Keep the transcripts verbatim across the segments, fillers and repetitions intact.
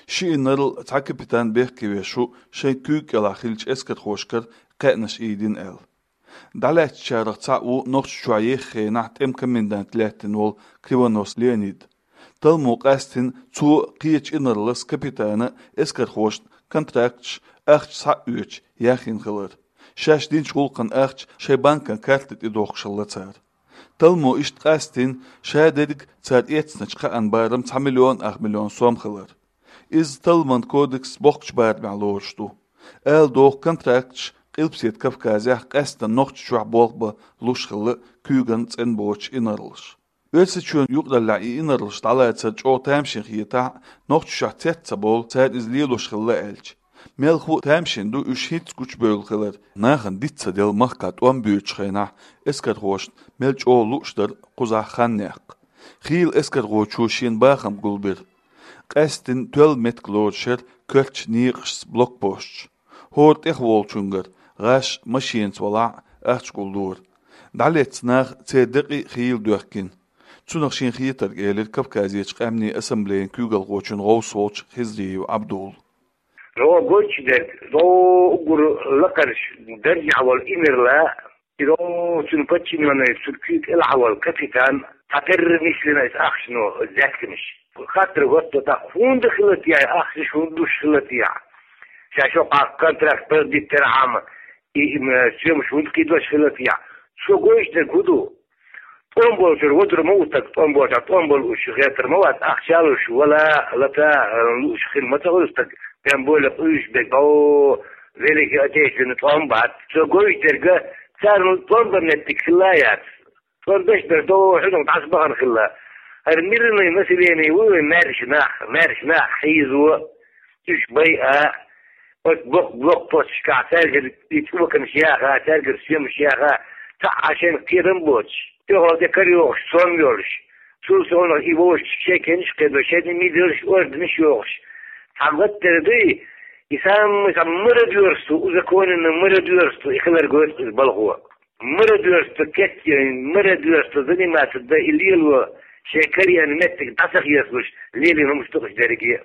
Ши инарла, цхьа капитан бехке веш ву шайн куьйга кӀелахь хиллачу эскархошкара кхаьънаш ийдина аьлла. ДӀалаьцначарах цхьаъ ву Нохчийчохь еххачу хенахь тӀеман комендант лаьттина волу Кривонос Леонид. Талламо къаьстина цо кхечу инарлас, капитана, эскархошна контракташ, ахча схьа а оьцуш, яхйина хилар. Шаьш динчу гӀуллакхан ахча шайн банкан карта тӀе дохкуш хилла цара. Талламо иштта къаьстина ша дерриг цара эцначу кхаанан барам цхьа миллион ах миллион сом хилар. Иза Талламан кодексан боккхачу барамехь лоруш ду. Ала догӀу, контракташ Къилбаседа Кавказехь, къаьсттина Нохчийчохь болх бан луш хилла куьйгана цӀена боцуш инарлаш. Оьрсийчоьнан юкъараллехь и инарлаш дӀалацар чӀогӀа тамашийна хетахь а, Нохчийчохь цец ца болу цара иза лелош хилла аьлча. Мелхо а тамашийна ду уьш хӀинцца гучубевлла хилар. Нахана диц ца делла махкахь тӀом боьдучу хенахь эскархошна мел чӀогӀа лууш дара кхузахь хан-некъ. Хийла эскархочо шена бахам гулбира. Къаьсттина тоьлла меттиг лоруш яра коьртачу некъашца блокпосташ. ХӀора тӀехволчуьнгара, гӀаш машенаца валахь а, ахча гулдора. ДӀалецна наха церан декъий а хийла доьхкина. Цунах шен хетарг элира Кавказерчу къаьмнийн ассамблеян куьйгалхочун гӀовс волчу Хизриев Абдулла. Ро гочу дерг, ро угур лакхарш даржехь волу инарла, и ро цуьнан подчинённый, цуьнан куьйга кӀелахь волу капитан, цхьатерра нислина иза ахчано, заьцканаш. Хаттар готто тӀаккха, хӀунда хилла те ахча, хӀунда луш хилла те? Ша шо къа контракт продлить тера хьама, и, и, м, соьмаш хӀунда кхийдош хилла те? Цо гойтуш дерг хӀун ду? ТӀом болчуьра вудар ма ву стаг, тӀом болчуьра тӀом болу уьш гӀертар ма вац, ахча луш, вала, лата, лууш хила ма ца хуьлу стаг, тем более къуьйсуш берг, о, Великий Отечественный тӀом бац. Цо гойтуш дерг, царна тӀом бан меттиг хилла яц. ТӀом беш бер до, хьуьнах дӀасабахана хилла. ХӀара мирный население ву вайн маьрша нах, маьрша нах хьийзо, уьш байа, оцу блок-, блокпосташкахь цаьргара и цӀоканаш яха, цаьргара соьмаш яха, цхьа а шайна кхетам боцуш, тӀехула тӀе кара йогӀуш, сом йолуш. Цул совнаха и вовшашка шайн кенаш а кхедо, шайна мидерш, орденаш йохуш. Цхьа гӀаттара дуй, и самый, самый мародёрство, узаконенное мародёрство, и хилар гойту иза балхо. Мародёрство кечйина, мародёрство заниматься дан и лело, шайн карийна меттиг дӀа ца хецалуш, лелийна хӀумаш ду уьш дерриге.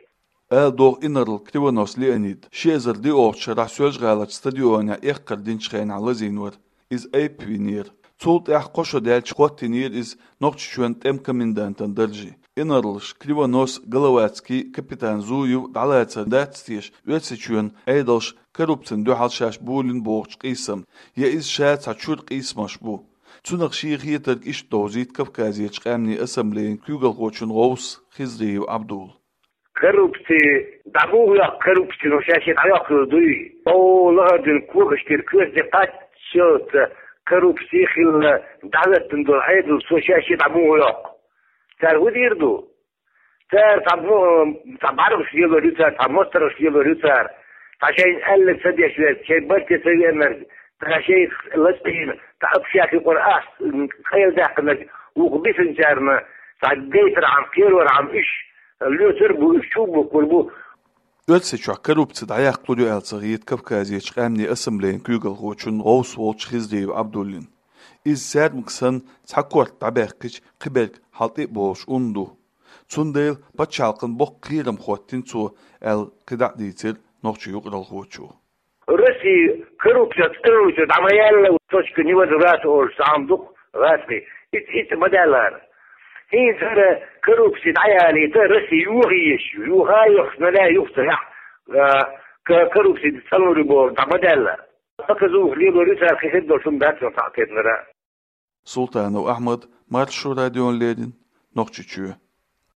Ала догӀу, инарла Кривонос Леонид ши эзар диъолгӀачу шарахь Соьлжа-ГӀаларчу стадионехь эккхар динчу хенахь лазийна вара. Иза айпа винера. Цул тӀаьхьа кхо шо даьлча хӀоттийнера иза Нохчийчоьнан тӀеман комендантан дарже. Инарлаша Кривонос, Головацкий, капитан Зуев дӀалацар дац теша Оьрсийчоьнан Ӏедалша коррупцина дуьхьал шаьш болийна бохучу къийсамна, я иза ша цхьа чуьра къийсамаш бу? Цунах шен хетарг иштта довзийта Кавказерчу къаьмнийн ассамблеян куьйгалхочун гӀовс Хизриев Абдулла. Коррупци дӀа муха йоккху, коррупци, ну, ша шен дӀайоккхур дуй? О, лахара дуьйна когаш тера коьрте кхаччалца коррупци хилла дӀахӀоьттина долу Ӏедал, цо ша шен дӀа муха йоккху? Цара хӀун дийр ду? Цара цхьа мо-, цхьа бӀаьргаш лелор ю цара, цхьа мостагӀаш лелор ю цара, цхьа шайна аьлларг ца деш верг, шайн барте ца веанарг, цхьа шайх лацбийна, цхьа общак юкъара ахча къайладаьккхинарг, вукху бисинчарна цхьа гайтархьама, кхерорхьама уьш лоьцур бу, уьш чу бухкур бу. Оьрсийчохь коррупци дӀаяккхалур ю аьлла ца хета Кавказерчу къаьмнийн ассамблеян куьйгалхочун гӀовс волчу Хизриев Абдуллин. Иза саьрмаг санна цхьа корта дӀабаьккхича, кхиберг хьал тӀе а болуш ун ду. Цундела пачхьалкхан боккха кхерам хӀоттийна цо, аьлла, кхидӀа а дийцира нохчийн юкъаралхочо. Россия коррупция цӀанвича дӀа ма яьлла, точка невозврата олуш цхьа хӀума ду-кх гӀазкхий. Итт, итт ма даьллара. ХӀинца хӀара коррупция дӀаялийта Россия юха езаш ю. Юха а йохуш, налаьй юха ца яхь, а, ка-, коррупция цӀанлур ю бохург дӀа ма даьлла. Показуха лелор ю цара, кхин хир долуш хӀума дац цунах цхьа кхетанара. Султанов Ахьмад, Маршо радиона леррина, Нохчийчоь.